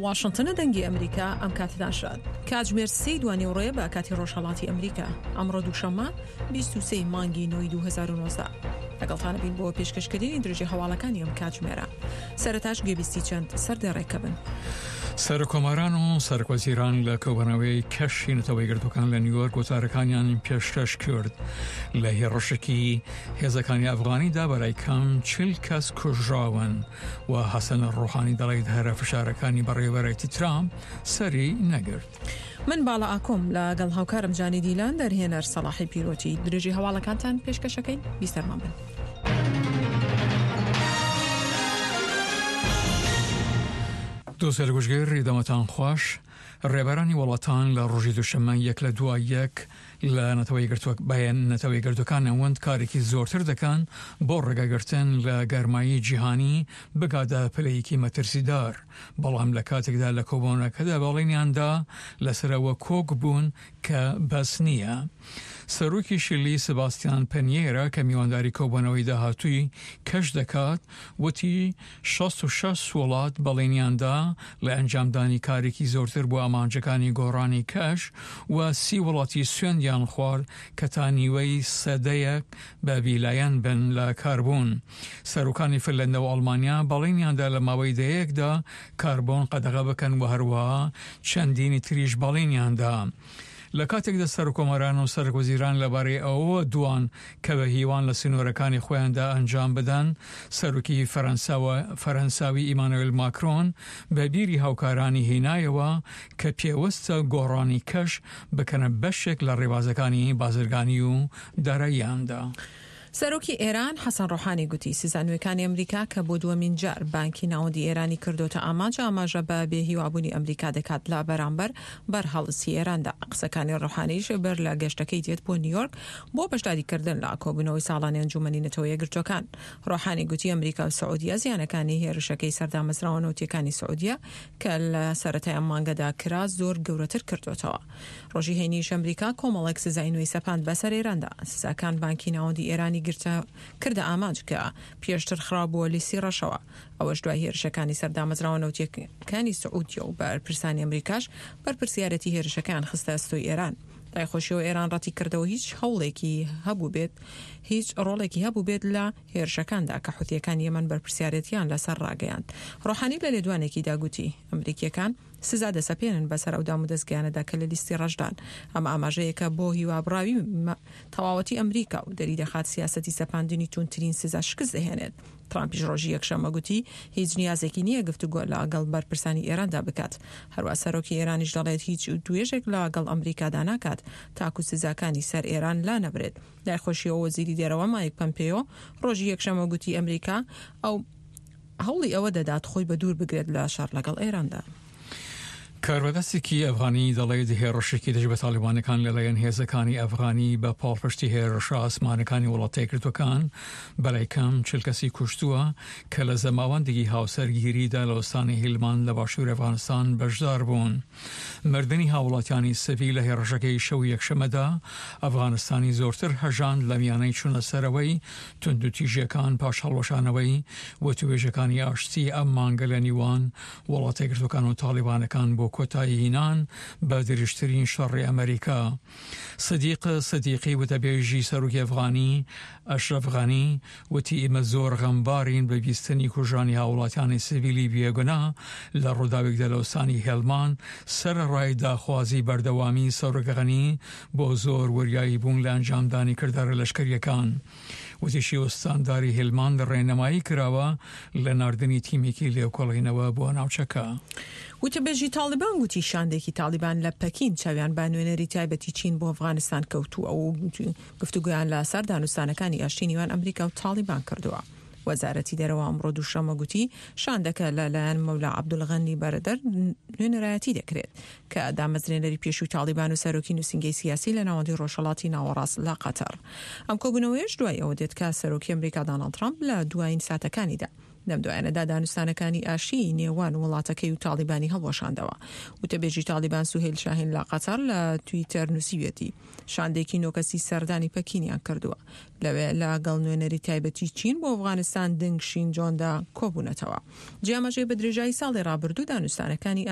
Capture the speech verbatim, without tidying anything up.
واشنتنە دەنگی ئەمریکا ئەم کاتەتان شاد. کاتژمێر سێی دوانیوەڕۆیە بە کاتی ڕۆژهەڵاتی ئەمریکا. ئەمڕۆ دووشەممە بیست و سێ ی مانگی نۆی دوو هەزار و نۆزدە. لەگەڵتانە بین بۆ پێشکەشکردنی درێژەی هەواڵەکانی ئەم کاتژمێرە. سەرەتاش گوێبیستی چەند سەردێڕێکە بن. سەرکۆماران و سەرکوەزیران لە کۆبوونەوەی کەشی نەتەوە یەکگرتووەکان لە نیویۆرک وتارەکانیان پێشکەش کرد. لە هێڕشێکی هێزەکانی ئەفغانیدا بەلای کەم چل کەس کوژراون و حەسەن ڕۆحانی دەڵێت هەرە فشارەکانی بەڕێوەبەرایەتی ترامپ سەری نەگرت. من باڵا ئاکۆم لەگەڵ هاوکارم جانی دیلان دەرهێنەر سەڵاحی پیرۆتی درێژی هەواڵەکانتان پێشکەشەکەین بیسەرمان بن. دۆستێل گوشگیر دەمەتان خوش. ڕێبەرانی وڵاتان لە ڕۆژی دووشەممە یەک لە دوای یەک لە نەتەوە یەکگرتووەکان ئەوەند کارێکی زۆرتر دەکەن بۆ ڕێگەگرتن لە گەرمایی جیهانی بگاتە پلەیەکی مەترسیدار، بەڵام لە کاتێکدا لە کۆبوونەکەدا بەڵێنیاندا لەسەرەوە کۆک بوون کە بەس نییە. سەرۆکی شیلی سباستیان پەنیێرا کە میوانداری کۆبوونەوەی داهاتووی کەش دەکات وتی شەست و شەش وڵات بەڵێنیاندا لە ئەنجامدانی کارێکی زۆرتر بۆ ئامانجەکانی گۆڕانی کەش و سی وڵاتی سوێندیان خوارد کە تا نیوەی سەدەیەک بە بیلایەن بن لە کاربۆن. سەرۆکانی فنلەندا و ئەڵمانیا بەڵێنیاندا لە ماوەی دەیەکدا کاربۆن قەدەغە بکەن و هەروەها چەندینی تریش بەڵێنیاندا. لە کاتێکدا سەرکۆماران و سەرۆکوەزیران لەبارەی ئەوەوە دوان کە بە هیوان لە سنوورەکانی خۆیاندا ئەنجام بدەن، سەرۆکی فەرەنساوی ئیمانوێل ماکرۆن بە بیری هاوکارانی هینایەوە کە پێوەستە گۆڕانی کەش بکەنە بەشێک لە ڕێبازەکانی بازرگانی و داراییاندا. سەرۆکی ئێران حەسەن ڕۆحانی گوتی سزا نوێکانی ئەمریکا کە بۆ دووەمین جار بانکی ناوەندی ئێرانی کردۆتە ئامانج ئاماژە بە بێهیوابوونی ئەمریکا دەکات لە بەرامبەر بەرهەڵستی ئێراندا. قسەکانی ڕۆحانیش بەر لە گەشتەکەی دێت بۆ نیویۆرک بۆ بەشداریکردن لە کۆبوونەوەی ساڵانی ئەنجومەنی نەتەوە یەکگرتووەکان. ڕۆحانی گوتی ئەمریکا و سعودیە زیانەکانی هێرشەکەی سەردامەزراوە نەوتیەکانی سعودیە کە لە سەرەتای ئەم مانگەدا کرا زۆر گەورەتر کردوتەوە. ڕۆژی هەینیش ئەمریکا کۆمەڵێک سزای نوێی سەپاند بەسەر ئێراندا. سزاکان بانکی ناوەندی ئێرانی گرتە کردە ئامانج کە پێشتر خرابووە لیستی ڕەشەوە. ئەوەش دوای هێرشەکانی سەردامەزراوە نەوتیەکانی سعودیە و بەرپرسانی ئەمریکاش بەرپرسیارەتی هێرشەکان خستە ئەستۆی ئێران. لای خۆشیەوە ئێران ڕەتی کردەوە هیچ هەوڵێکی هەبوو بێت هیچ ڕۆڵێکی هەبوو بێت لە هێرشەکاندا کە حوثیەکان یەمەن بەرپرسیارەتیان لەسەر ڕاگەیاند. ڕۆحانی لە لێدوانێکیدا گوتی ئەمریکیەکان سزا دەسەپێنن بەسەر ئەو دامودەزگایانەدا کە لە لیستی ڕەشدان. ئەم ئاماژەیەکە بۆ هیوابڕاوی تەواوەتی ئەمریکا و دەری دەخات سیاسەتی سەپاندنی توندترین سزا شکست دەهێنێت. ترامپیش ڕۆژی یەکشەممە گوتی هیچ نیازێکی نییە گفتوگۆ لەگەڵ بەرپرسانی ئێراندا بکات. هەروە سەرۆکی ئێرانیش دەڵێت هیچ دوێژێک لەگەڵ ئەمریکادا ناکات تاکو سزاکانی سەر ئێران لا نەبرێت. لای خۆشیەوە وەزیری دەرەوە مایک پەمپێیۆ ڕۆژی یەکشەممە گوتی ئەمریکا ئەو هەوڵی ئەوە دەدات خۆی بە دوور بگرێت لە شەڕ لەگەڵ ئێراندا. کاربەدەستێکی ئەفغانی دەڵێت هێڕشێکی دژ بە تاڵیبانەکان لەلایەن هێزەکانی ئەفغانی بە پاڵپشتی هێرشە ئاسمانەکانی وڵاتە یەکگرتووەکان بەلای کەم چل کەسی کوشتووە کە لە زەماوەندێکی هاوسەرگیریدا لە ئوستانی هیلمان لە باشوور ئەفغانستان بەشدار بوون. مردنی هاوڵاتیانی سڤیل لە هێڕشەکەی شەو یەکشەممەدا ئەفغانستانی زۆرتر هەژاند لە میانەی چوونە سەرەوەی توندوتیژیەکان پاش هەڵوەشانەوەی وتوێژەکانی ئاشتی ئەم مانگە لە نیوان وڵاتە یەکگرتووەکان و تاڵیبانەکان بۆ کۆتاییهێنان بە درێژترین شەڕی ئەمریکا. سدیق سدیقی وتەبێژی سەرۆکی ئەفغانی ئەشرەف غەنی وتی ئێمە زۆر غەمبارین بە بیستنی کوژرانی هاوڵاتیانی سڤیلی بێگونا لە ڕووداوێکدا لە ئوستانی هێلمان سەرەڕای داخوازی بەردەوامی سەرۆک غەنی بۆ زۆر وریایی بوون لە ئەنجامدانی کردارە لەشکریەکان. وتیشی ئوستانداری هێلمان ڕێنمایی کراوە لە ناردنی تیمێکی لێکۆڵینەوە بۆ ناوچەکە. وتەبێژی تاڵیبان گوتی شاندێکی تاڵیبان لە پەکین چاویان بە نوێنەری تایبەتی چین بۆ ئەفغانستان کەوتووە و گفتوگۆیان لەسەر دانوستانەکانی ئاشتی نێوان ئەمریکا و تاڵیبان کردووە. وەزارەتی دەرەوە ئەمڕۆ دووشەممە گوتی شاندەکە لەلایەن مەولا عەبدولغەنی بەرەدەر نوێنەرایەتی دەکرێت کە دامەزرێنەری پێشووی تاڵیبان و سەرۆکی نووسینگەی سیاسی لە ناوەندی ڕۆژهەڵاتی ناوەڕاست لە قەتەر. ئەم کۆبوونەوەیش دوای ئەوە دێت کە سەرۆکی ئەمریکا داناڵد ترامپ لە دوایین ساتەکانیدا لەم دوایانەدا دانوستانەکانی ئاشتیی نێوان وڵاتەکەی و تاڵیبانی هەڵوەشاندەوە. وتەبێژی تاڵیبان سوهەیل شاهین لە قەتەر لە تویتەر نووسیویەتی، شاندێکی نۆ کەسی سەردانی پەکینیان کردووە. لەوێ لە گەڵ نوێنەری تایبەتی چین بۆ ئەفغانستان دنگ شینجۆندا کۆبوونەتەوە. جیاماژەی بە درێژایی ساڵی ڕابردوو دانوستانەکانی